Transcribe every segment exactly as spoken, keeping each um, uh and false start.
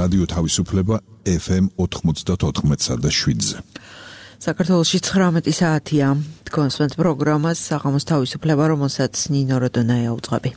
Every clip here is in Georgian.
რადიო თავისუფლება ეფ ემ ოთხმოცდაოთხ და შვიდზე. საქართველოში ცხრამეტი საათია. თქვენს პროგრამას საღამოს თავისუფლება, რომელსაც ნინო როდონაია უძღვები.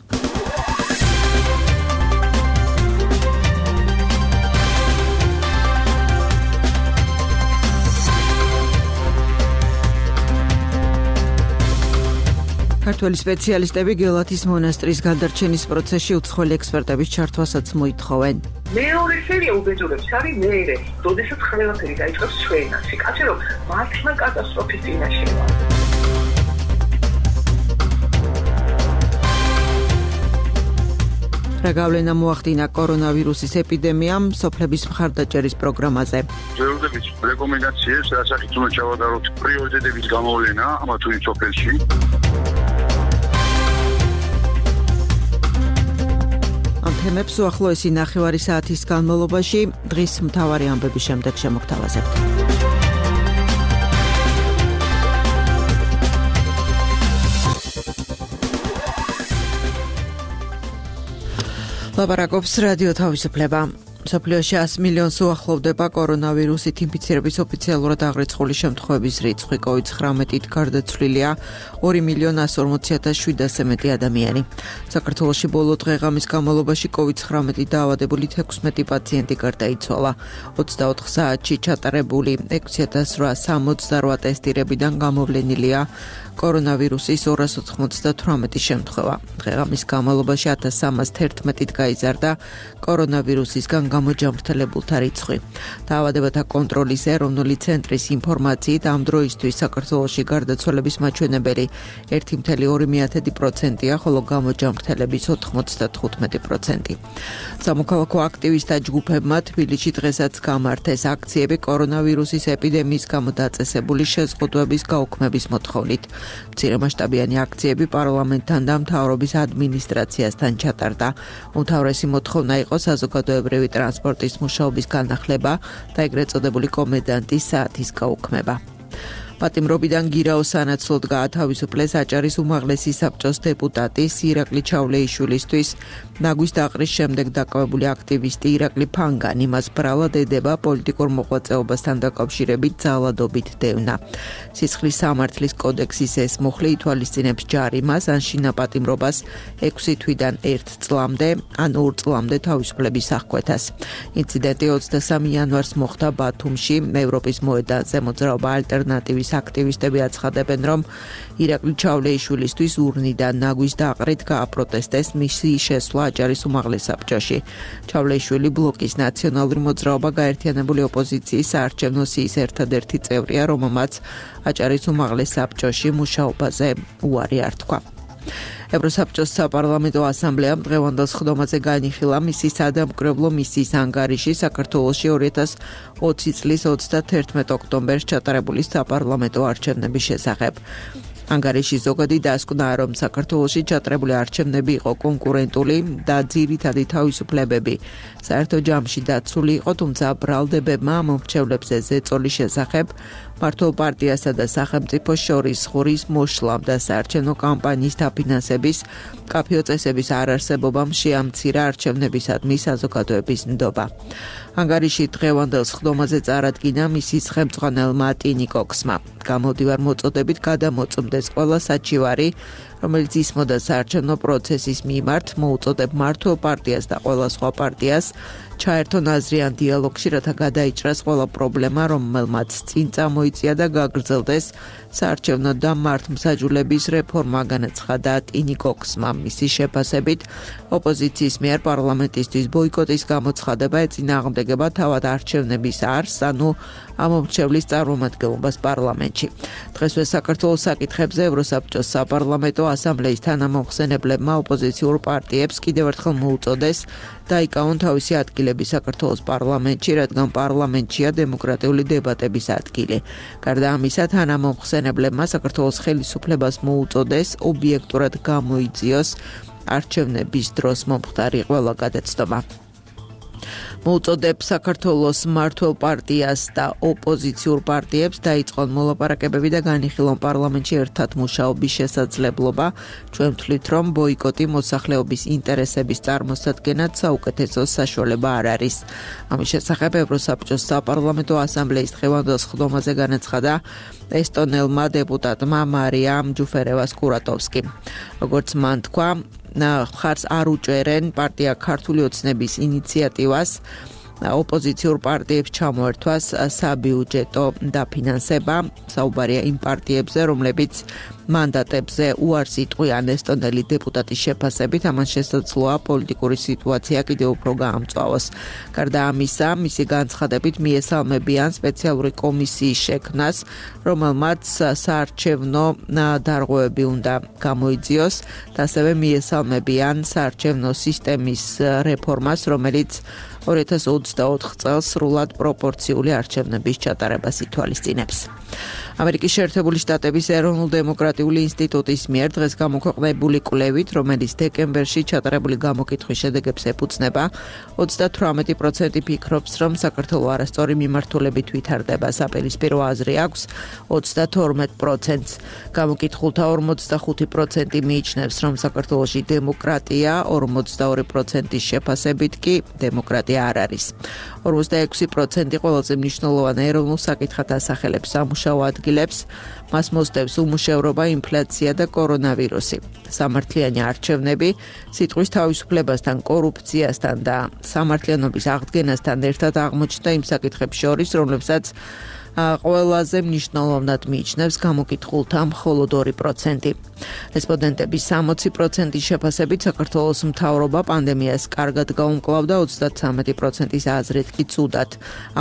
ქართველი სპეციალისტები გელათის მონასტრის გადარჩენის პროცესში უცხოელი ექსპერტების ჩართვასაც მოითხოვენ. მეორე სერია უბედურებს არის მეერე, როდესაც ყველაფერი დაიწყებს ჩვენაში. კაცი რომ მართლა კატასტროფის წინაშეა. რა გავლენა მოახდინა კორონავირუსის ეპიდემიამ სოფლების მხარდაჭერის პროგრამაზე. ძველოდების რეკომენდაციებს, რასაც უნდა ჩავატაროთ პრიორიტეტების გამოვლენა ამა თუ იმ სოფელში. ამ თემებს უახლოესი ნახევარი საათის განმავლობაში დღის მთავარი ამბების შემდეგ შემოგთავაზებთ. ლაპარაკობს რადიო თავისუფლება. მსოფლიოში ას მილიონს უახლოვდება კორონავირუსით ინფიცირების ოფიციალურად აღრიცხული შემთხვევების რიცხვი. კოვიდ ცხრამეტით გარდაცვლილია ორი მილიონი ასი ორმოცი ათას შვიდასზე მეტი ადამიანი. საქართველოში ბოლო დღე-ღამის განმავლობაში კოვიდ ცხრამეტით დაავადებული თექვსმეტი პაციენტი გარდაიცვალა. ოცდაოთხ საათში ჩატარებული ექვსი ათას რვაას სამოცდარვა ტესტირებიდან გამოვლენილია კორონავირუსის ორას ოთხმოცდათვრამეტი შემთხვევა. დღე-ღამის განმავლობაში ათას სამას თერთმეტით გაიზარდა კორონავირუსისგან გამოჯამრთელებულთა რიცხვი. დაავადებათა კონტროლის ეროვნული ცენტრის ინფორმაციით ამ დროისთვის საქართველოში გარდაცვალების მაჩვენებელი ერთი მცდარი ორი პროცენტია, ხოლო გამოჯამრთელების ოთხმოცდათხუთმეტი პროცენტი. სამოქალაქო აქტივისტთა ჯგუფებმა თბილისში დღესაც გამართეს აქციები კორონავირუსის ეპიდემიის გამო დაწესებული შეზღუდვების გაუქმების მოთხოვნით. მცირემასშტაბიანი აქციები პარლამენტთან და მთავრობის ადმინისტრაციასთან ჩატარდა. უმთავრესი მოთხოვნა იყო საზოგადოებრივი ტრანსპორტის მუშაობის განახლება და ეგრეთ წოდებული კომენდანტის საათის გაუქმება. პატიმრობიდან გირაოს სანაცვლოდ გაათავისუფლეს აჭარის უმაღლესი საბჭოს დეპუტატის ირაკლი ჩავლეიშვილისთვის ნაგვის დაყრის შემდეგ დაკავებული აქტივისტი ირაკლი ფანგანი მას ბრალად ედება პოლიტიკურ მოღვაწეობასთან დაკავშირებით ძალადობით დევნა. სისხლის სამართლის კოდექსის ეს მუხლი ითვალისწინებს ჯარიმას ან შინაპატიმრობას ექვსი თვიდან ერთ წლამდე ან ორ წლამდე თავისუფლების აღკვეთას. ინციდენტი ოცდასამი იანვარს მოხდა ბათუმში, ევროპის მოედანზე. მოძრაობა ალტერნატივის აქტივისტები აცხადებენ, რომ ირაკლი ჩავლეიშვილისთვის ურნიდან ნაგვის დაყრით გააპროტესტეს მისი შესვლა აჭარის უმაღლეს საბჭოში. ჩავლეიშვილი ბლოკის ნაციონალური მოძრაობა გაერთიანებული ოპოზიციის საარჩევნო სიის ერთადერთი წევრია, რომელმაც აჭარის უმაღლეს საბჭოში მუშაობაზე უარი არ თქვა. ევროსაბჭოს საპარლამენტო ასამბლეამ დღევანდელ სხდომაზე განიხილა მისი სადამკვირვებლო მისიის ანგარიში საქართველოში ორი ათას ოცი წლის ოცდათერთმეტ ოქტომბერს ჩატარებული საპარლამენტო არჩევნების შესახებ. ანგარიში ზოგადი დასკვნაა, რომ საქართველოში ჩატარებული არჩევნები იყო კონკურენტული და ძირითადი თავისუფლებები საერთო ჯამში დაცული იყო, თუმცა ბრალდებებმა მომრჩევლებზე ზეწოლის შესახებ მართლ პარტიასა და სახელმწიფოს შორის ხურის მოშლამ და საარჩევნო კამპანიის დაფინანსების კაფეო წესების არარსებობამ შეამცირა არჩევნებისადმი საზოგადოების ნდობა. ანგარიში დღევანდელ სხდომაზე წარადგინა მისის ხელმძღვანელმა ტინი კოქსმა. გამოდივარ მოწოდებით გადამოწმდეს ყველა საჩივარი, რომელიც ისმოდა საარჩევნო პროცესის მიმართ, მოუწოდებ მართლ პარტიას და ყველა სხვა პარტიას ჩაერთონ აზრიან დიალოგში, რათა გადაიჭრას ყველა პრობლემა, რომელმაც წინ წამოიწია და გაგრძელდეს საარჩევნო და მართლმსაჯულების რეფორმა, განაცხადა ტინი კოქსმა. მისი შეფასებით, ოპოზიციის მიერ პარლამენტისთვის ბოიკოტის გამოცხადება ეწინააღმდეგება თავად არჩევნების არსს, ანუ ამომრჩევლის წარმომადგენლობას პარლამენტში. დღესვე საქართველოს საკითხებზე ევროსაბჭოს საპარლამენტო ასამბლეის თანამომხსენებლებმა ოპოზიციურ პარტიებს კიდევ ერთხელ მოუწოდეს დაიკავონ თავისი ადგილები საქართველოს პარლამენტში, რადგან პარლამენტშია დემოკრატიული დებატების ადგილი. გარდა ამისა, თანამომხსენებლებმა საქართველოს ხელისუფლებას მოუწოდეს ობიექტურად გამოიძიოს არჩევნების დროს მომხდარი ყველა გადაცდომა. მოუწოდებს საქართველოს მმართველ პარტიას და ოპოზიციურ პარტიებს დაიწყონ მოლაპარაკებები და განიხილონ პარლამენტში ერთად მუშაობის შესაძლებლობა. ჩვენ ვთვლით, რომ ბოიკოტი მოსახლეობის ინტერესების წარმოსადგენად საუკეთესო საშუალება არ არის. ამის შესახებ ევროსაბჭოს საპარლამენტო ასამბლეის დღევანდელ სხდომაზე განაცხადა ესტონელმა დეპუტატმა მარიამ ჯუფერევას-კურატოვსკიმ. როგორც მან თქვა, ხარს არ უჭერენ პარტია ქართული ოცნების ინიციატივას ოპოზიციურ პარტიებს ჩამოერთვას საბიუჯეტო დაფინანსება. საუბარია იმ პარტიებზე, რომლებიც მანდატებზე უარს იტყვიან ესტონელი დეპუტატის შეფასებით, ამან შესაძლოა პოლიტიკური სიტუაცია კიდევ უფრო გაამწვავოს. გარდა ამისა, მისი განცხადებით მიესალმებიან სპეციალური კომისიის შექმნას, რომელმაც საარჩევნო დარღვევები უნდა გამოიძიოს და ასევე მიესალმებიან საარჩევნო სისტემის რეფორმას, რომელიც ორი ათას ოცდაოთხ წელს სრულად პროპორციული არჩევნების ჩატარებას ითვალისწინებს. ამერიკის შეერთებული შტატების ეროვნულ-დემოკრატიული ინსტიტუტის მიერ დღეს გამოქვეყნებული კვლევით, რომელიც დეკემბერში ჩატარებული გამოკითხვის შედეგებს ეფუძნება, ოცდათვრამეტი პროცენტი ფიქრობს, რომ საქართველოს არასწორი მიმართულებით ვითარდება. საპირისპირო აზრი აქვს ოცდათორმეტ პროცენტს. გამოკითხულთა ორმოცდახუთი პროცენტი მიიჩნევს, რომ საქართველოში დემოკრატია, ორმოცდაორი პროცენტის შეფასებით კი დემოკრატია არ არის. ორმოცდაექვსი პროცენტი ყველაზე მნიშვნელოვან ეროვნულ საკითხად ასახელებს სამუშაო ადგილებს, მას მოსდევს უმუშევრობა, ინფლაცია და კორონავირუსი. სამართლიანი არჩევნები სიტყვის თავისუფლებასთან, კორუფციასთან და სამართლიანობის აღდგენასთან ერთად აღმოჩნდა იმ საკითხებს შორის, რომლებსაც ყველაზე მნიშვნელოვნად მიიჩნევს გამოკითხულთა მხოლოდ ორი პროცენტი. რესპონდენტების სამოცი პროცენტის შეფასებით საქართველოს მთავრობა პანდემიას კარგად გაუმკლავდა, ოცდათვრამეტი პროცენტის აზრით კი ცუდად.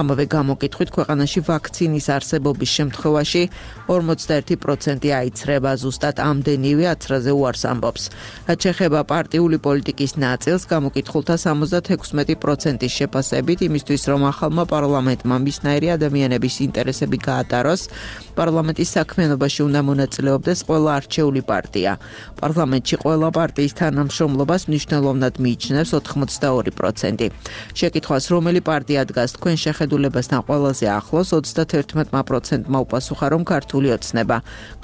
ამავე გამოკითხვით ქვეყანაში ვაქცინის არსებობის შემთხვევაში ორმოცდაერთი პროცენტი აიცრება, ზუსტად ამდენივე აცრაზე უარს ამბობს. რაც შეეხება პარტიული პოლიტიკის ნაწილს, გამოკითხულთა სამოცდათექვსმეტი პროცენტის შეფასებით იმისთვის, რომ ახალმა პარლამენტმა მისნაირი ადამიანების ინტერესები გაატაროს, პარლამენტის საქმიანობაში უნდა მონაწილეობდეს ყველა არჩეული პარტია. პარლამენტში ყველა პარტიის თანამშრომლობას მნიშვნელოვნად მიიჩნევს ოთხმოცდაორი პროცენტი. შეკითხვას, რომელი პარტია დგას თქვენ შეხედულებასთან ყველაზე ახლოს, ოცდათერთმეტ პროცენტმა უპასუხა, რომ ქართული ოცნება.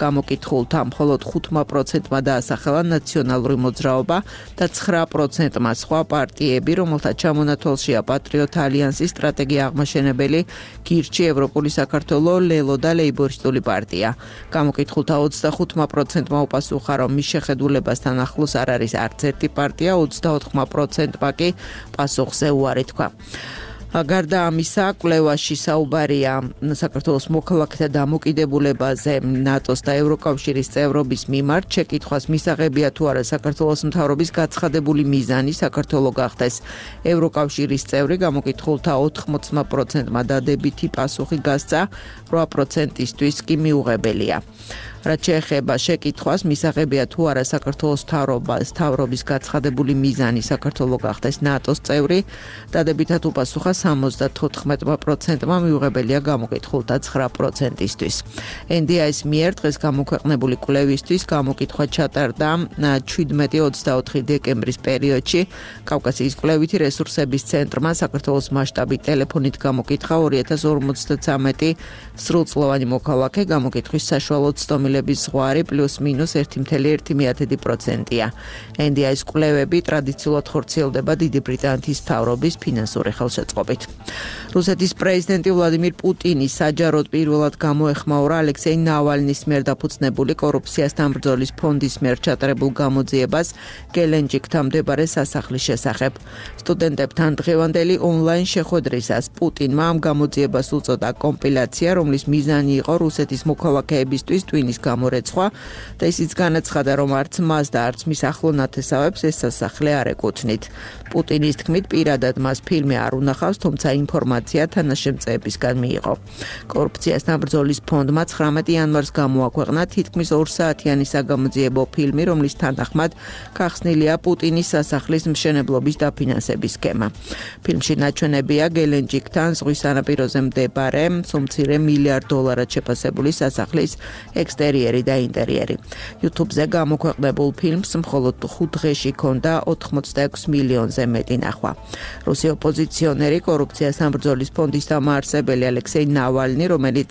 გამოკითხულთა მხოლოდ ხუთმა პროცენტმა დაასახელა ნაციონალური მოძრაობა და ცხრა პროცენტმა სხვა პარტიები, რომელთა ჩამონათვალშია პატრიოტ ალიანსის სტრატეგია აღმაშენებელი, გირჩი, ევროპული საქართველო, ლელო და ლეიბორისტული პარტია. გამოკითხულთა ოცდახუთმა პროცენტმა უპასუხა, რომ მის შეხედულებასთან ახლოს არ არის არც ერთი პარტია, ოცდაოთხმა პროცენტმა კი პასუხზე უარი თქვა. გარდა ამისა, კვლევაში საუბარია საქართველოს მოქალაქეთა დამოკიდებულებაზე ნატოს და ევროკავშირის წევრობის მიმართ. შეკითხვას მისაღებია თუ არა საქართველოს მთავრობის გაცხადებული მიზანი საქართველოს გახდეს ევროკავშირის წევრი, გამოკითხულთა ოთხმოცმა პროცენტმა დადებითი პასუხი გასცა, რვა პროცენტისთვის კი მიუღებელია. რაც შეეხება შეკითხვას, მისაღებია თუ არა საქართველოს მთავრობას მთავრობის გაცხადებული მიზანი საქართველოს გახდეს ნატოს წევრი, დადებითად უპასუხა სამოცდათოთხმეტმა პროცენტმა, მიუღებელია გამოკითხულთა ცხრა პროცენტისთვის. ენ დი აის მიერ დღეს გამოქვეყნებული კვლევისთვის გამოკითხვა ჩატარდა შვიდმეტი ოცდაოთხი დეკემბრის პერიოდში. კავკასიის კვლევითი რესურსების ცენტრმა საქართველოს მასშტაბით ტელეფონით გამოკითხა ორი ათას ორმოცდათვრამეტი სრულწლოვანი მოქალაქე, გამოკითხვის საშუალო ცდომილების ზღვარი პლუს მინუს ერთი კoma ერთი პროცენტია. ენ დი აის კვლევები ტრადიციულად ხორციელდება დიდი ბრიტანეთის მთავრობის ფინანსური ხელშეწყობით. რუსეთის პრეზიდენტი ვლადიმირ პუტინი საჯაროდ პირველად გამოეხმაურა ალექსეი ნავალნის მიერ დაფუძნებული კორუფციასთან ბრძოლის ფონდის მიერ ჩატარებულ გამოძიებას გელენჯიკთან მდებარე სასახლის შესახებ. სტუდენტებთან დღევანდელი ონლაინ შეხვედრისას პუტინმა ამ გამოძიებას უწოდა კომპილაცია, რომლის მიზანი იყო რუსეთის მოქალაქეებისთვის ტვინის გამორეცხვა და ისიც განაცხადა, რომ არც მას და არც მის ახლო ნათესავებს ეს სასახლე არ ეკუთვნით. პუტინის თქმით, პირადად მას ფილმი არ უნახავს, თუმცა ინფორმაცია თანაშემწეებისგან მიიღო. კორუფციასთან ბრძოლის ფონდმა ცხრამეტი იანვარს გამოაქვეყნა თითქმის ორ საათიანი საგამოძიებო ფილმი, რომლის თანახმად გახსნილია პუტინის სასახლის მშენებლობის დაფინანსების სქემა. ფილმში ნაჩვენებია გელენჯიკთან ზღვის სანაპიროზე მდებარე სუმცირე მილიარდ დოლარად შეფასებული სასახლის ექსტერიერი და ინტერიერი. YouTube-ზე გამოქვეყნებულ ფილმს მხოლოდ ხუთ დღეში ჰქონდა ოთხმოცდაექვსი მილიონზე მეტი ნახვა. რუსი ოპოზიციონერი კორუფციასთან ბრძოლის ფონდის დამაარსებელი ალექსეი ნავალნი, რომელიც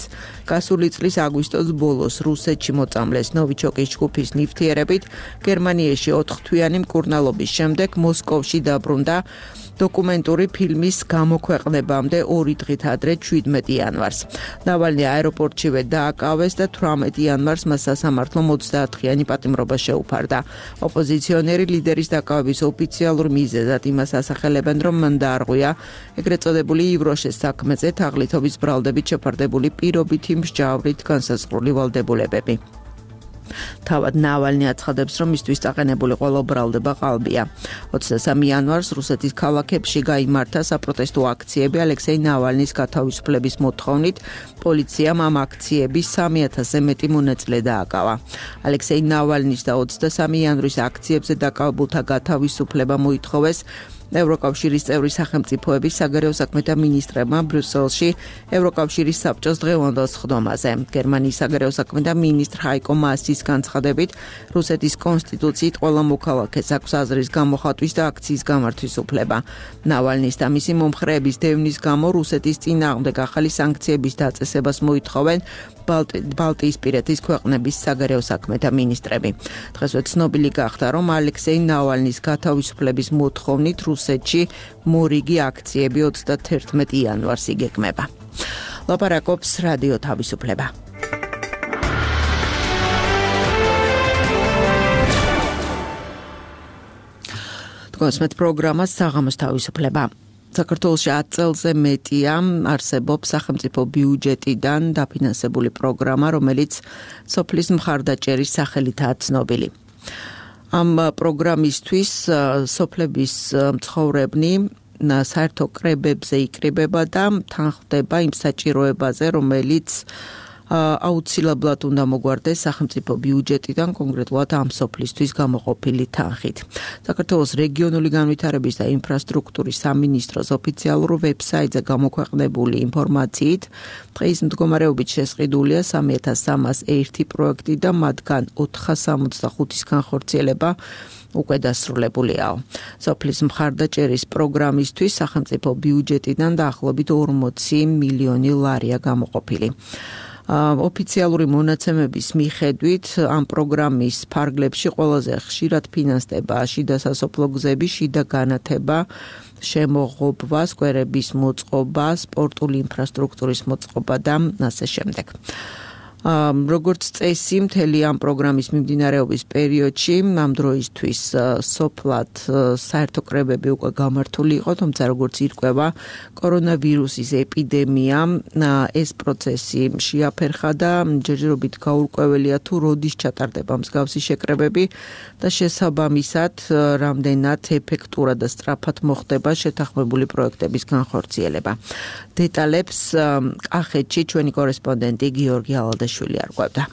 გასული წლის აგვისტოს ბოლოს რუსეთში მოწამლეს ნოვიჩოკის ჯგუფის ნივთიერებით, გერმანიაში ოთხთვიანი მკურნალობის შემდეგ მოსკოვში დაბრუნდა დოკუმენტური ფილმის გამოქვეყნებამდე ორი დღით ადრე შვიდმეტი იანვარს. ნავალნი აეროპორტშივე დააკავეს და თვრამეტი იანვარს მას სასამართლო ოცდაათღიანი პატიმრობა შეუფარდა. ოპოზიციონერი ლიდერის დაკავების ოფიციალურ მიზეზად იმას ასახელებენ, რომ მან დაარღვია ეგრეთ წოდებული ივროშეს საქმეზე თაღლითობის ბრალდებით შეფარდებული პირობითი მსჯავრით განსაზღვრული ვალდებულებები. თავად ნავალნი აცხადებს, რომ მისთვის წაყენებული ყველა ბრალდება ყალბია. ოცდასამი იანვარს რუსეთის ქალაქებში გაიმართა საპროტესტო აქციები ალექსეი ნავალნის გათავისუფლების მოთხოვნით. პოლიციამ ამ აქციების სამი ათასზე მეტი მონაწილე დააკავა. ალექსეი ნავალნის და ოცდასამი იანვრის აქციებზე დაკავებულთა გათავისუფლება მოითხოვეს ევროკავშირის წევრი სახელმწიფოების საგარეო საქმეთა მინისტრებმა ბრიუსელში ევროკავშირის საბჭოს დღევანდელ სხდომაზე. გერმანიის საგარეო საქმეთა მინისტრ ჰაიკო მასის განცხადებით, რუსეთის კონსტიტუციით ყველა მოქალაქეს აქვს აზრის გამოხატვის და აქციის გამართვის უფლება. ნავალნის და მისი მომხრეების დევნის გამო რუსეთის წინააღმდეგ ახალი სანქციების დაწესებას მოითხოვენ ბალტიისპირეთის ქვეყნების საგარეო საქმეთა მინისტრები. დღესვე ცნობილი გახდა, რომ ალექსეი ნავალნის გათავისუფლების მოთხოვნით რუსეთში მორიგი აქციები ოცდათერთმეტი იანვარს იგეგმება. ლაპარაკობს რადიო თავისუფლება. თქვენს პროგრამას საღამოს თავისუფლება. საქართველოში ათ წელზე მეტია არსებობს სახელმწიფო ბიუჯეტიდან დაფინანსებული პროგრამა, რომელიც სოფლის მხარდაჭერის სახელითაა ცნობილი. ამ პროგრამისთვის სოფლების მცხოვრებნი საერთო კრებებზე იკრიბება და თანხდება იმ საჭიროებაზე, რომელიც აუცილებლად უნდა მოგვარდეს სახელმწიფო ბიუჯეტიდან, კონკრეტულად ამ სოფლისთვის გამოყოფილი თანხით. საქართველოს რეგიონული განვითარების და ინფრასტრუქტურის სამინისტროს ოფიციალურ ვებსაიტზე გამოქვეყნებული ინფორმაციით, დღის მდგომარეობით შესყიდულია სამი ათას სამას ერთი პროექტი და მათგან ოთხას სამოცდახუთის განხორციელება უკვე დასრულებულია. სოფლის მხარდაჭერის პროგრამისთვის სახელმწიფო ბიუჯეტიდან დაახლოებით ორმოცი მილიონი ლარია გამოყოფილი. ოფიციალური მონაცემების მიხედვით ამ პროგრამის ფარგლებში ყველაზე ხშირად ფინანსდება შიდა სასოფლო გზების შიდა განათება, შემოღობა, სკვერების მოწყობა, სპორტული ინფრასტრუქტურის მოწყობა და ასე შემდეგ. როგორც წესი, მთელი ამ პროგრამის მიმდინარეობის პერიოდში ამ დროისთვის სოფლად საერთო კრებები უკვე გამართული იყო, თუმცა როგორც ირკვევა კორონავირუსის ეპიდემია, ეს პროცესი შეაფერხა და ჯერჯერობით გაურკვეველია თუ როდის ჩატარდება მსგავსი შეკრებები და შესაბამისად რამდენად ეფექტურად და სწრაფად მოხდება შეთანხმებული პროექტების განხორციელება. დეტალებს კახეთში ჩვენი კორესპონდენტი გიორგი ალადაშვილი არკვევდა.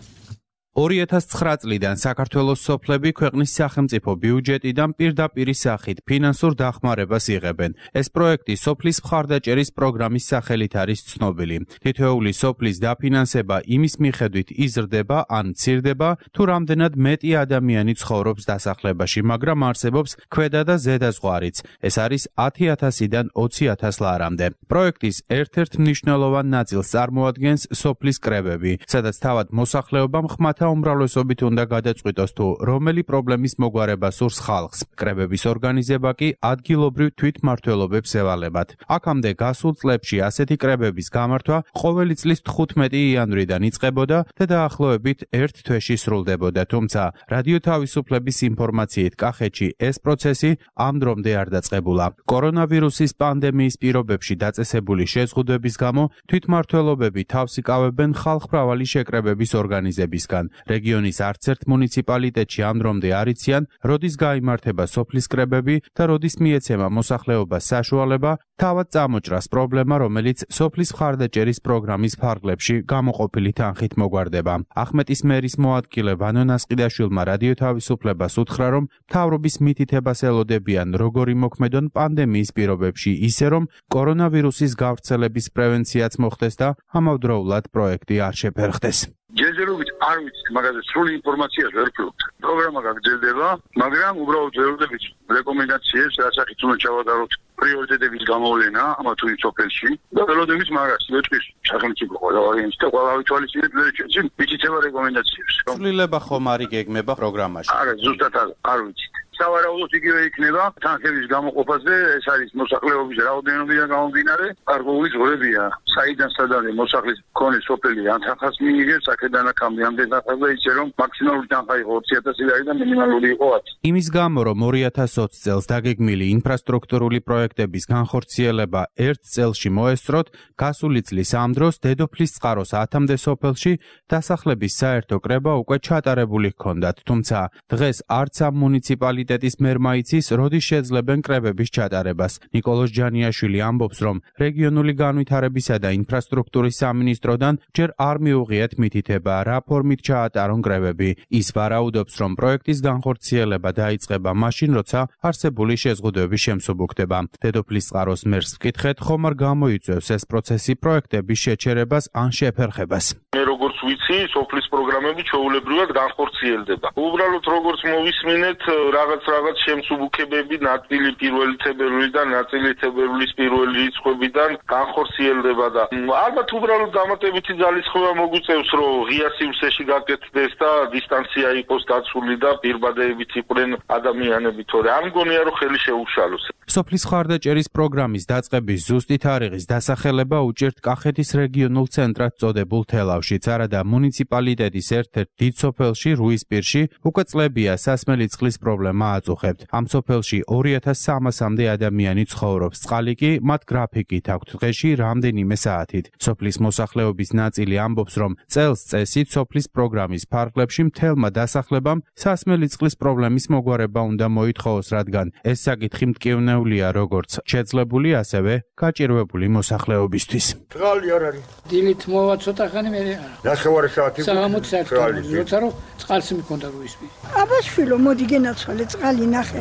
ორი ათას ცხრა წლიდან საქართველოს სოფლები ქვეყნის სახელმწიფო ბიუჯეტიდან პირდაპირი სახით ფინანსურ დახმარებას იღებენ. ეს პროექტი სოფლის მხარდაჭერის პროგრამის სახელით არის ცნობილი. თითოეული სოფლის დაფინანსება იმის მიხედვით იზრდება ან მცირდება, თუ რამდენად მეტი ადამიანი ცხოვრობს დასახლებაში, მაგრამ არსებობს ქვედა და ზედა ზღვარიც. ეს არის ათი ათასიდან ოცი ათას ლარამდე. პროექტის ერთ-ერთ მნიშვნელოვან ნაწილს წარმოადგენს სოფლის კრებები, სადაც თავად მოსახლეობამ ხმათა უმრავლესობით უნდა გადაწყვიტოს თუ რომელი პრობლემის მოგვარება სურს ხალხს. კრებების ორგანიზება კი ადგილობრივ თვითმმართველობებს ევალებათ. აქამდე გასულ წლებში ასეთი კრებების გამართვა ყოველი წლის თხუთმეტი იანვრიდან იწყებოდა და დაახლოებით ერთ თვეში სრულდებოდა, თუმცა რადიო თავისუფლების ინფორმაციით კახეთში ეს პროცესი ამ დრომდე არ დაწყებულა. კორონავირუსის პანდემიის პირობებში დაწესებული შეზღუდვების გამო თვითმმართველობები თავს იკავებენ ხალხმრავალი შეკრებების ორგანიზებისგან. რეგიონის არც ერთ მუნიციპალიტეტში ამ დრომდე არ იციან, როდის გაიმართება სოფლის კრებები და როდის მიეცემა მოსახლეობას საშუალება თავად წამოჭრას პრობლემა, რომელიც სოფლის მხარდაჭერის პროგრამის ფარგლებში გამოყოფილი თანხით მოგვარდება. ახმეტის მერის მოადგილე ვანო ნასყიდაშვილმა რადიო თავისუფლებას უთხრა, რომ მთავრობის მითითებას ელოდებიან როგორი მოქმედონ პანდემიის პირობებში, ისე რომ კორონავირუსის გავრცელების პრევენციაც მოხდეს და ამავდროულად პროექტი არ შეფერხდეს. ჯერჯერობით არ ვიცით, მაგაზე სრული ინფორმაციას ვერ ვფლობთ. პროგრამა გაგრძელდება, მაგრამ უბრალოდ ვეროდებით რეკომენდაციებს, რასაც უნდა ჩავატაროთ პრიორიტეტების გამოვლენა ამა თუ იმ სოფელში და ველოდებით მაგას ვეთქვის სახელმწიფო ყველა ვარიანტს და ყველა ვითვალისწინებთ ვერ ჩვენ მითითება რეკომენდაციებს. ცვლილება ხომ არ იგეგმება პროგრამაში? არა, ზუსტად არ ვიცით. სავარაუდოდ იგივე იქნება თანხების გამოყოფაზე, ეს არის მოსახლეობის რაოდენობიდან გამომდინარე, გარკვეული ზღვრებია, საიდან სადამდე მოსახლის მქონე სოფელი ან თანხას მიიღებს, აქედან აქამდე ამდენ თანხას და ისე რომ მაქსიმალური თანხა იყო ოცი ათასი ლარი და მინიმალური იყო ათი. იმის გამო, რომ ორი ათას ოცი წელს დაგეგმილი ინფრასტრუქტურული პროექტების განხორციელება ერთ წელში მოესწროთ, გასული წლის ამ დროს დედოფლის წყაროს ათამდე სოფელში დასახლების საერთო კრება უკვე ჩატარებული ჰქონდათ, თუმცა დღეს არც ამ მუნიციპალიტეტში მერმა იცის, როდის შეძლებენ კრებების ჩატარებას. ნიკოლოზ ჯანიაშვილი ამბობს, რომ რეგიონული განვითარებისა და ინფრასტრუქტურის სამინისტროდან ჯერ არ მიუღიათ მითითება, რა ფორმით ჩაატარონ კრებები. ის ვარაუდობს, რომ პროექტის განხორციელება დაიწყება მაშინ, როცა არსებული შეზღუდვები შემსუბუქდება. დედოფლის წყაროს მერს ვკითხეთ, ხომ არ გამოიწვევს ეს პროცესი პროექტების შეჩერებას ან შეფერხებას. მე როგორც ვიცი, სოფლის პროგრამები ჩვეულებრივად განხორციელდება. უბრალოდ როგორც მოვისმინეთ, რაღაც რაღაც შემსუბუქებები ნაწილი პირველი თებერვლიდან, ნაწილი თებერვლის პირველი რიცხვებიდან განხორციელდება და ალბათ უბრალოდ დამატებითი ძალისხმევა მოგვიწევს, რომ ღია სივრცეში გაკეთდეს და დისტანცია იყოს დაცული და პირბადეებით იყვნენ ადამიანები, თორე არ მგონია, რომ ხელი შეუშალოს. სოფლის მხარდაჭერის პროგრამის დაწყების ზუსტი თარიღის დასახელება უჭირთ კახეთის რეგიონულ ცენტრად წოდებულ თელავშიც, არადა მუნიციპალიტეტის ერთ-ერთ დიდ სოფელში, რუისპირში, უკვე წლებია სასმელი წყლის პრობლემა აწუხებთ. ამ სოფელში ორი ათას სამასამდე ადამიანი ცხოვრობს, წყალი კი მათ გრაფიკით აქვთ დღეში რამდენიმე საათით. სოფლის მოსახლეობის ნაწილი ამბობს, რომ წელს წესით სოფლის პროგრამის ფარგლებში მთელმა დასახლებამ სასმელი წყლის პრობლემის მოგვარება უნდა მოითხოვოს, რადგან ეს საკითხი მტკივნეულია როგორც შეძლებული, ასევე გაჭირვებული მოსახლეობისთვის. წყალი არ არის. დილით მოვა ცოტა ხანი მე არა. ნახევარი საათი. საღამოც საათი. როცა რომ წყალს მქონდა რუისპირში. აბაშვილო, მოდი გენაცვალე წყალი ნახე.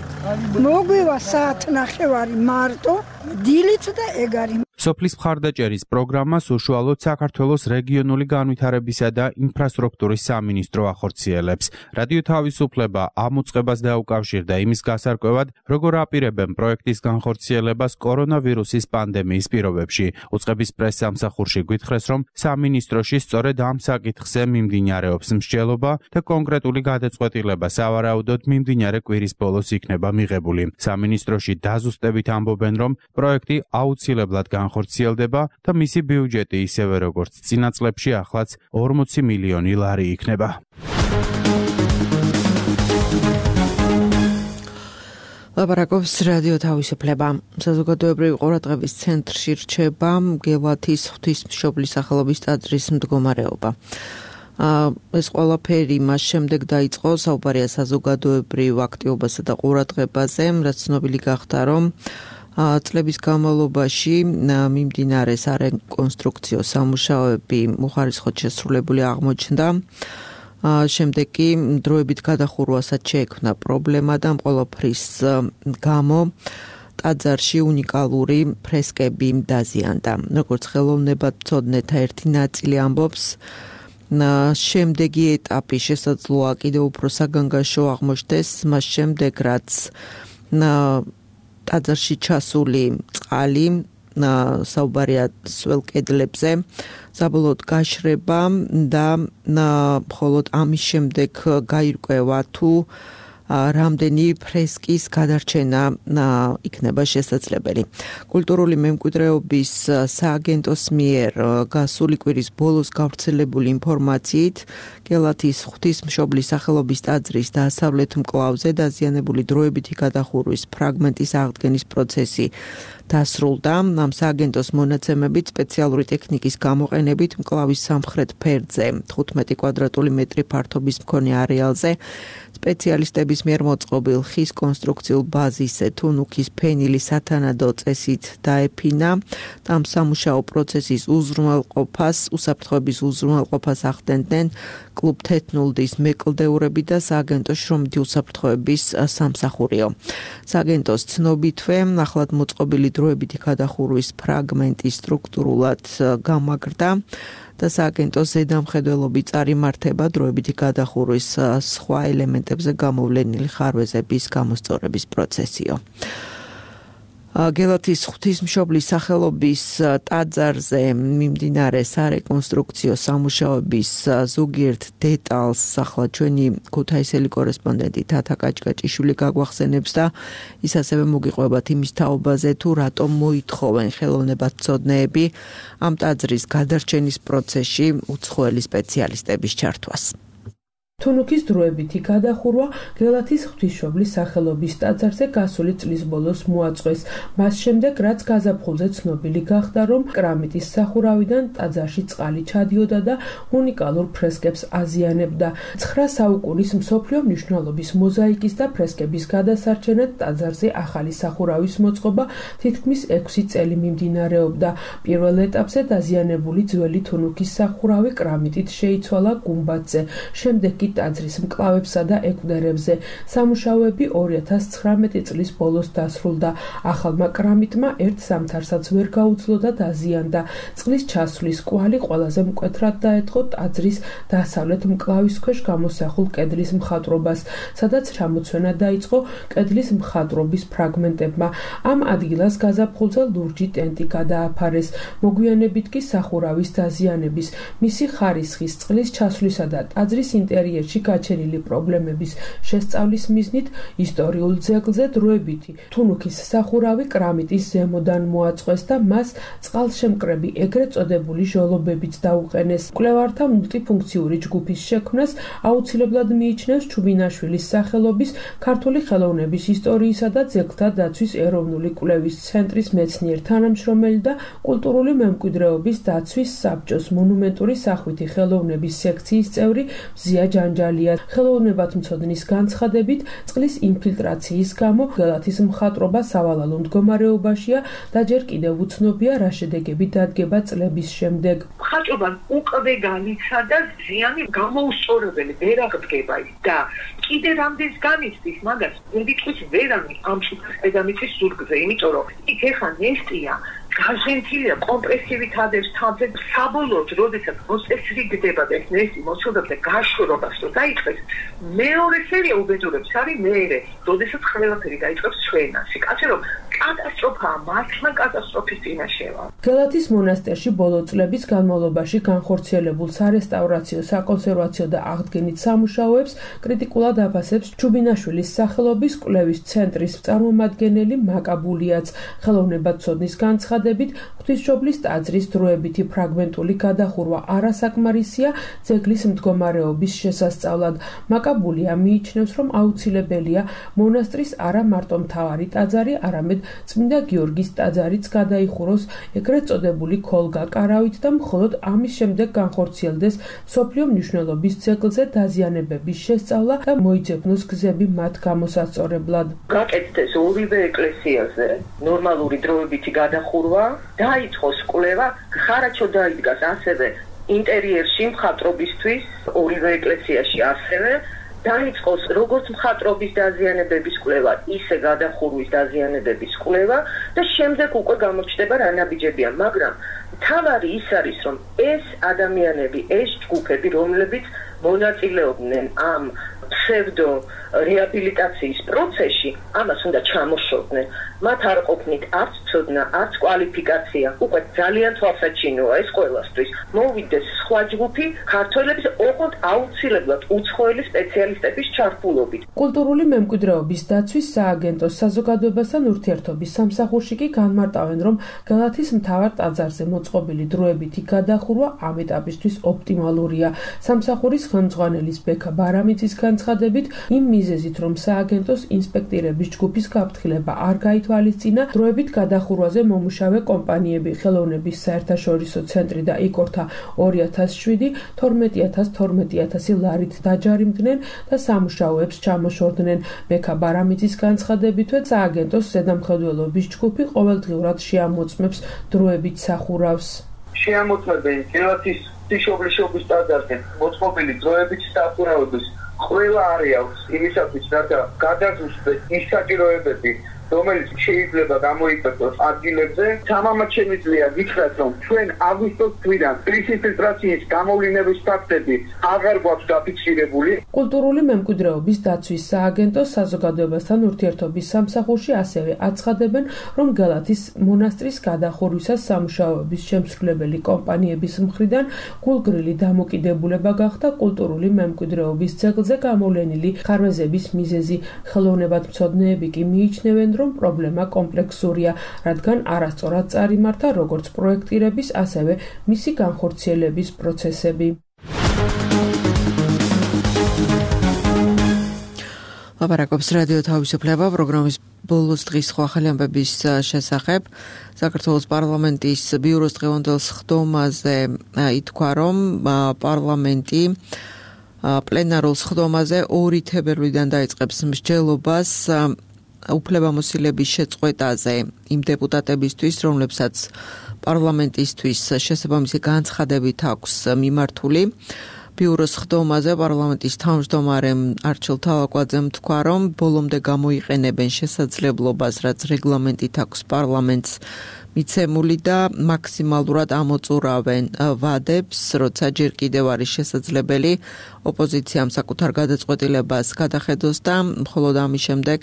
მოგვივა საათ ნახევარი მარტო, დილით და ეგარი. სოფლის მხარდაჭერის პროგრამას უშუალოდ საქართველოს რეგიონული განვითარებისა და ინფრასტრუქტურის სამინისტრო ახორციელებს. რადიო თავისუფლება ამ უწყებას დაუკავშირდა იმის გასარკვევად, როგორ აპირებენ პროექტის განხორციელებას კორონავირუსის პანდემიის პირობებში. უწყების პრესსამსახურში გვითხრეს, რომ სამინისტროში სწორედ ამ საკითხზე მიმდინარეობს მსჯელობა და კონკრეტული გადაწყვეტილება სავარაუდოდ მიმდინარე კვირის ბოლოს იქნება მიღებული. სამინისტროში დაზუსტებით ამბობენ, რომ პროექტი აუცილებლად განხორციელდება და მისი ბიუჯეტი ისევე როგორც წინა წლებში ახლაც ორმოცი მილიონი ლარი იქნება. ლაპარაკობს რადიო თავისუფლება. საზოგადოებრივი ყურადღების ცენტრში რჩება გელათის ღვთისმშობლის სახელობის ტაძრის მდგომარეობა. ეს ყველაფერი მას შემდეგ დაიწყო, საუბარია საზოგადოებრივ აქტივობასა და ყურადღებაზე, რაც ცნობილი გახდა, რომ წლების განმავლობაში მიმდინარე სარეკონსტრუქციო სამუშაოები უხარისხოდ შესრულებული აღმოჩნდა. შემდეგ კი დროებით გადახურვასაც შეექმნა პრობლემა და ამ ყველაფრის გამო ტაძარში უნიკალური ფრესკები დაზიანდა. როგორც ხელოვნებათმცოდნეთა ერთი ნაწილი ამბობს, შემდეგი ეტაპი შესაძლოა კიდევ უფრო საგანგაშო აღმოჩნდეს, მას შემდეგ რაც ტაძარში ჩასული წყალი, საუბარია სველ კედლებზე, საბოლოოდ გაშრება და მხოლოდ ამის შემდეგ გაირკვევა თუ რამდენი ფრესკის გადარჩენა იქნება შესაძლებელი. კულტურული მემკვიდრეობის სააგენტოს მიერ გასული კვირის ბოლოს გავრცელებული ინფორმაციით გელათის ღვთისმშობლის სახელობის ტაძრის დასავლეთ მკლავზე დაზიანებული დროებითი გადახურვის ფრაგმენტის აღდგენის პროცესი დასრულდა. ამ სააგენტოს მონაცემებით სპეციალური ტექნიკის გამოყენებით მკლავის სამხრეთ ფერდზე თხუთმეტი კვადრატული მეტრი ფართობის მქონე არეალზე სპეციალისტების მიერ მოწყობილ ხის კონსტრუქციულ ბაზისზე თუნუქის ფენილი სათანადო წესით დაეფინა. ამ სამუშაო პროცესის უზრუნველყოფას, უსაფრთხოების უზრუნველყოფას ახდენდნენ კლუბ თეთნულდის მეკლდეურები და სააგენტოს შრომითი უსაფრთხოების სამსახურიო. სააგენტოს ცნობითვე ახლად მოწყობილი დროებითი გადახურვის ფრაგმენტი სტრუქტურულად გამაგრდა და სააგენტოს ზედამხედველობი წარიმართება დროებითი გადახურვის სხვა ელემენტებზე გამოვლენილი ხარვეზების გამოსწორების პროცესიო. გელათის ღვთისმშობლის სახელობის ტაძარზე მიმდინარე სარეკონსტრუქციო სამუშაოების ზოგიერთ დეტალს ახლა ჩვენი ქუთაისელი კორესპონდენტი თათა კაჭკაჭიშვილი გაგვახსენებს და ის ასევე მოგიყვებათ იმის თაობაზე თუ რატომ მოითხოვენ ხელოვნებათმცოდნეები ამ ტაძრის გადარჩენის პროცესში უცხოელი სპეციალისტების ჩართვას. თუნუქის დროებითი გადახურვა გელათის ღვთისმშობლის სახელობის ტაძარზე გასული წლის ბოლოს მოაწყვეს. მას შემდეგ, რაც გაზაფხულზე ცნობილი გახდა, რომ კრამიტის სახურავიდან ტაძარში წყალი ჩადიოდა და უნიკალურ ფრესკებს აზიანებდა. ცხრა საუკუნის მსოფლიო მნიშვნელობის მოზაიკის და ფრესკების გადასარჩენად ტაძარზე ახალი სახურავის მოწყობა თითქმის ექვსი წელი მიმდინარეობდა. პირველ ეტაპზე დაზიანებული ძველი თუნუქის სახურავი კრამიტით შეიცვალა გუმბათზე. შემდეგ კი ტაძრის მკლავებსა და ეკვდერებზე. სამუშაოები ორი ათას ცხრამეტი წლის ბოლოს დასრულდა. ახალმა კრამიტმა ერთ ზამთარსაც ვერ გაუძლო და დაზიანდა. წყლის ჩასვლის კვალი ყველაზე მკვეთრად დაეთხო ტაძრის დასავლეთ მკლავის ქვეშ გამოსახულ კედლის მხატვრობას, სადაც ჩამოცვენა დაიწყო კედლის მხატვრობის ფრაგმენტებმა. ამ ადგილას გაზაფხულზე ლურჯი ტენტი გადააფარეს. მოგვიანებით კი სახურავის დაზიანების, მისი ხარისხის, წყლის ჩასვლისა და ტაძრის ინტერიერში გაჩენილი პრობლემების შესწავლის მიზნით ისტორიულ ძეგლზე დროებითი თუნუქის სახურავი კრამიტის ზემოდან მოაწყვეს და მას წყალშემკრები ეგრეთ წოდებული ჟოლობებიც დაუყენეს. მკვლევართა მულტიფუნქციური ჯგუფის შექმნას აუცილებლად მიიჩნევს ჩუბინაშვილის სახელობის ქართული ხელოვნების ისტორიისა და ძეგლთა დაცვის ეროვნული კვლევის ცენტრის მეცნიერ თანამშრომელი და კულტურული მემკვიდრეობის დაცვის საბჭოს მონუმენტური სახვითი ხელოვნების სექციის წევრი მზია ჯანჯალია. ხელოვნებათმცოდნის განცხადებით, წყლის ინფილტრაციის გამო გელათის მხატვრობა სავალალო მდგომარეობაშია და ჯერ კიდევ უცნობია რა შედეგები დადგება წლების შემდეგ. მხატვრობამ უკვე განიცადა და ზიანი გამოუსწორებელი ვერ აღდგება და კიდე რამდენს განიცდის მაგას დიდი ტყვის ვერანი ამ შუქის დედამიწის ზურგზე, იმიტომ რომ იქ ეხა ნესტია გაზენთილია კომპრესივით ადევს თავზე საბოლოოდ როდესაც მოსწესრიგდება და ეს ნესტი მოსწოდებს და გაშორობას რომ დაიწყეს მეორე სერია უბედურებს არის მეერე როდესაც ყველაფერი დაიწყებს ჩვენაში კაცი რომ კატასტროფაა მართლა კატასტროფის წინაშეა. გელათის მონასტერში ბოლო წლების განმავლობაში განხორციელებულ სარესტავრაციო, საკონსერვაციო და აღდგენით სამუშაოებს კრიტიკულად აფასებს ჩუბინაშვილის სახელობის კვლევის ცენტრის წარმომადგენელი მაკაბულიაც. ხელოვნებათმცოდნის განცხადებით, ღვთისმშობლის ტაძრის დროებითი ფრაგმენტული გადახურვა არასაკმარისია ძეგლის მდგომარეობის შესასწავლად. მაკაბულია მიიჩნევს, რომ აუცილებელია მონასტრის არა მარტო მთავარი ტაძარი, არამედ წმინდა გიორგის ტაძარიც გადაიხუროს ეგრეთ წოდებული ქოლგა კარავით და მხოლოდ ამის შემდეგ განხორციელდეს მსოფლიო მნიშვნელობის ძეგლზე დაზიანებების შესწავლა და მოიძებნოს გზები მათ გამოსაწორებლად. გაკეთდეს ორივე ეკლესიაზე ნორმალური დროებითი გადახურვა, დაიწყოს კვლევა, ხარაჩო დაიდგას ასევე ინტერიერში მხატვრობისთვის ორივე ეკლესიაში ასევე დაიწყოს როგორც მხატვრობის დაზიანებების კვლევა, ისე გადახურვის დაზიანებების კვლევა და შემდეგ უკვე გამოჩნდება რა ნაბიჯებია, მაგრამ თავარი ის არის, რომ ეს ადამიანები, ეს ჯგუფები, რომლებიც მონაწილეობდნენ ამ ფსევდო რეაბილიტაციის პროცესში, ამას უნდა ჩამოშორდნენ. მათ არ ყოფნით არც ცოდნა, არც კვალიფიკაცია. უკვე ძალიან თვალსაჩინოა ეს ყველასთვის. მოვიდეს სხვა ჯგუფი ქართველების ოღონდ აუცილებლად უცხოელი სპეციალისტების ჩართულობით. კულტურული მემკვიდრეობის დაცვის სააგენტოს საზოგადოებასთან ურთიერთობის სამსახურში კი განმარტავენ, რომ გალათის მთავარ ტაძარზე მოწყობილი დროებითი გადახურვა ამ ეტაპისთვის ოპტიმალურია. სამსახურის ხელმძღვანელის ბექა ბარამიძის განცხადებით, იმ მიზეზით, რომ სააგენტოს ინსპექტირების ჯგუფის გაფრთხილება არ გაითვალისწინა, დროებით გადახურვაზე მომუშავე კომპანიები ხელოვნების საერთაშორისო ცენტრი და იკორთა ორი ათას შვიდი, თორმეტი ათას თორმეტი ათასი ლარით დაჯარიმდნენ და სამუშაოებს ჩამოშორდნენ. ბექა ბარამიძის განცხადებითვე სააგენტოს ზედამხედველობის ჯგუფი ყოველდღიურად შეამოწმებს დროებით სახურავს. შეამოწმებენ გელათის ღვთისმშობლის ტაძარზე მოწყობილი დროებით სახურავების ყველა არეალს იმისათვის, რათა გადაგზუსტდეს ის საჭიროებები, რომელიც შეიძლება გამოიწვიოს ადგილებზე. თამამად შემიძლია გითხრათ, რომ ჩვენ აგვისტოს თვიდან კრიზის ფილტრაციის გამოვლინების ფაქტები აღარ გვაქვს დაფიქსირებული. კულტურული მემკვიდრეობის დაცვის სააგენტოს საზოგადოებასთან ურთიერთობის სამსახურში ასევე აცხადებენ, რომ გალათის მონასტრის გადახურვისას სამუშაოების შემსრულებელი კომპანიების მხრიდან გულგრილი დამოკიდებულება გახდა კულტურული მემკვიდრეობის ძეგლზე გამოვლენილი ხარვეზების მიზეზი. ხელოვნებათმცოდნეები კი მიიჩნევენ, რომ პრობლემა კომპლექსურია, რადგან არასწორად წარიმართა როგორც პროექტირების, ასევე მისი განხორციელების პროცესები. ლაპარაკობს რადიო თავისუფლება პროგრამის ბოლოს დღის სხვა ახალი ამბების შესახებ. საქართველოს პარლამენტის ბიუროს დღევანდელ სხდომაზე ითქვა, რომ პარლამენტი პლენარულ სხდომაზე ორი თებერვლიდან დაიწყებს მსჯელობას უფლებამოსილების შეწყვეტაზე იმ დეპუტატებისთვის, რომლებსაც პარლამენტისთვის შესაბამისი განცხადებით აქვს მიმართული. ბიუროს სხდომაზე პარლამენტის თავმჯდომარემ არჩილ თალაკვაძემ თქვა, რომ ბოლომდე გამოიყენებენ შესაძლებლობას, რაც რეგლამენტით აქვს პარლამენტს მიცემული და მაქსიმალურად ამოწურავენ ვადებს, როცა ჯერ კიდევ არის შესაძლებელი ოპოზიციამ საკუთარ გადაწყვეტილებას გადახედოს და მხოლოდ ამის შემდეგ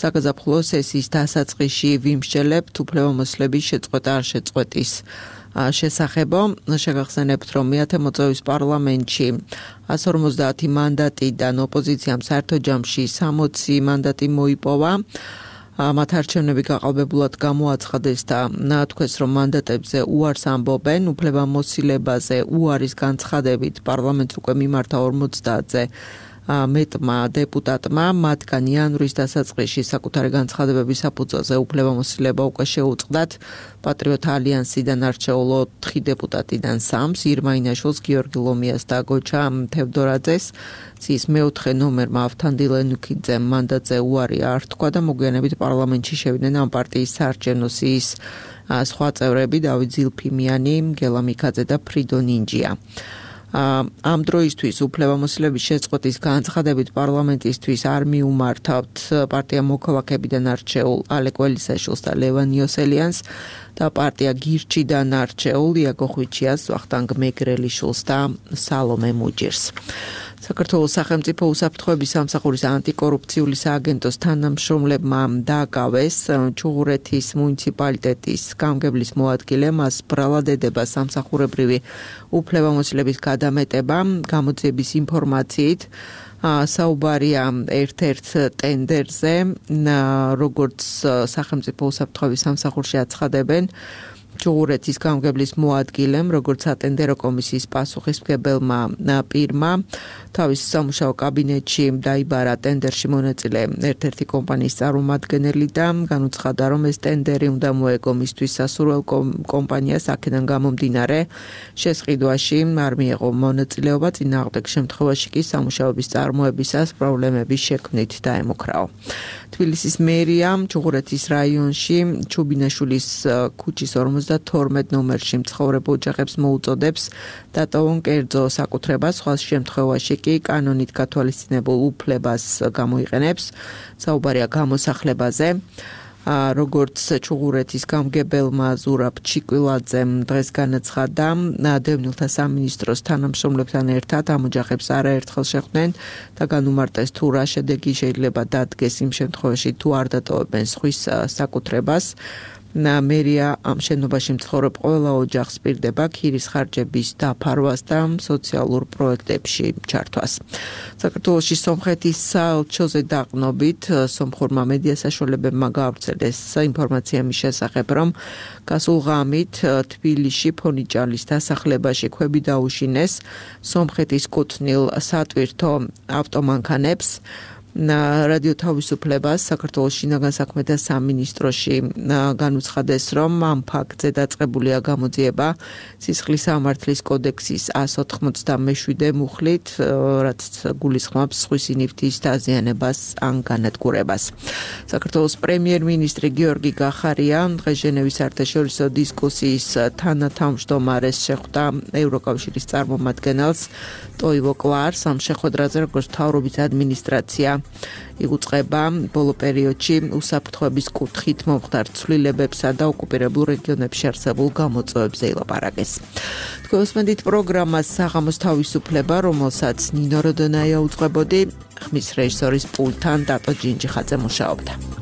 საგაზაფხულო სესიის დასაწყისში ვიმსჯელებთ უფლებამოსილების შეწყვეტა არ შეწყვეტის შესახებო. შეგახსენებთ, რომ მეათე მოწვევის პარლამენტში εκατს ორმოცდაათი მანდატიდან ოპოზიციამ საერთო ჯამში სამოცი მანდატი მოიპოვა. მათ არჩევნები გაყალბებულად გამოაცხადეს და თქვეს, რომ მანდატებზე უარს ამბობენ, უფლებამოსილებაზე უარის განცხადებით პარლამენტს უკვე მიმართა ორმოცდაათზე მეტმა დეპუტატმა, მათგან იანვრის დასაწყისში საკუთარი განცხადებების საფუძველზე უფლებამოსილება უკვე შეუწყდათ პატრიოტ ალიანსიდან არჩეულ ოთხი დეპუტატიდან სამს, ირმა ინაშვილს, გიორგი ლომიას და გოჩა თევდორაძეს. ცის მეოთხე ნომერმა ავთანდილ ენუქიძემ მანდატზე უარი არ თქვა და მოგვიანებით პარლამენტში შევიდნენ ამ პარტიის საარჩევნო სიის სხვა წევრები დავით ზილფიმიანი, გელა მიქაძე და ფრიდო ნინჯია. ამ დროისთვის უფლებამოსილების შეწყვეტის განცხადებით პარლამენტისთვის არ მიუმართავთ პარტია მოქალაქეებიდან არჩეულ ალეკ ველისაშვილს და ლევან იოსელიანს და პარტია გირჩიდან არჩეულ იაგო ხვიჩიას, ვახტანგ მეგრელიშვილს და სალომე მუჯირს. საქართველოს სახელმწიფო უსაფრთხოების სამსახურის ანტიკორუფციული სააგენტოს თანამშრომლებმა დააკავეს ჩუღურეთის მუნიციპალიტეტის გამგებლის მოადგილე, მას ბრალად ედება სამსახურებრივი უფლებამოსილების გადამეტება. გამოძიების ინფორმაციით საუბარია ერთ-ერთ ტენდერზე, როგორც სახელმწიფო უსაფრთხოების სამსახურში აცხადებენ, ჩუღურეთის გამგებლის მოადგილემ, როგორც ატენდერო კომისიის პასუხისმგებელმა პირმა, თავის სამუშაო კაბინეტში დაიბარა ტენდერში მონაწილე ერთ-ერთი კომპანიის წარმომადგენელი და განუცხადა, რომ ეს ტენდერი უნდა მოეგო მისთვის სასურველ კომპანიას, აქედან გამომდინარე შესყიდვაში არ მიეღო მონაწილეობა, წინააღმდეგ შემთხვევაში კი სამუშაოების წარმოებისას პრობლემების შექმნით დაემუქრაო. თბილისის მერიამ ჩუღურეთის რაიონში ჩუბინაშვილის ქუჩის ორმოცდათორმეტ ნომერში მცხოვრებ ოჯახებს მოუწოდებს დატოვონ კერძო საკუთრება, სხვა შემთხვევაში კი კანონით გათვალისწინებულ უფლებას გამოიყენებს. საუბარია გამოსახლებაზე. როგორც ჩუღურეთის გამგებელმა ზურაბ ჩიკვილაძემ დღეს განაცხადა, დევნილთა სამინისტროს თანამშრომლებთან ერთად ამ ოჯახებს არაერთხელ შეხვდნენ და განუმარტეს თუ რა შედეგი შეიძლება დადგეს იმ შემთხვევაში თუ არ დატოვებენ სხვის საკუთრებას. მერია ამ შენობაში მცხოვრებ ყველა ოჯახს პირდება ქირის ხარჯების დაფარვას და სოციალურ პროექტებში ჩართვას. საქართველოში სომხეთის საელჩოზე დაყრდნობით სომხურმა მედია საშუალებებმა გაავრცელეს ინფორმაცია მის შესახებ, რომ გასულ ღამით თბილისში ფონიჭალის დასახლებაში ქვები დაუშინეს სომხეთის კუთვნილ სატვირთო ავტომანქანებს. რადიო თავისუფლებას საქართველოს შინაგან საქმეთა სამინისტროში განუცხადეს, რომ ამ ფაქტზე დაწყებულია გამოძიება სისხლის სამართლის კოდექსის εκατს ოთხმოცდამეშვიდე მუხლით, რაც გულისხმობს სხვისი ნივთის დაზიანებას ან განადგურებას. საქართველოს პრემიერ-მინისტრი გიორგი გახარია დღეს ჟენევის საერთაშორისო დისკუსიის თანათავმჯდომარეს შეხვდა ევროკავშირის წარმომადგენელს ტოივო კლარს ამ შეხვედრაზე, როგორც მთავრობის ადმინისტრაცია იგუწყება ბოლო პერიოდში უსაფრთხოების კუთხით მომხდარ ცვლილებებსა და ოკუპირებულ რეგიონებში არსებულ გამოწვევებზე ილაპარაკეს. თქვენსმენდით პროგრამას საღამოს თავისუფლება, რომელსაც ნინო როდონაია უძღვებოდი, ხმის რეჟისორის პულტთან დატო ჯინჯიხაძე მუშაობდა.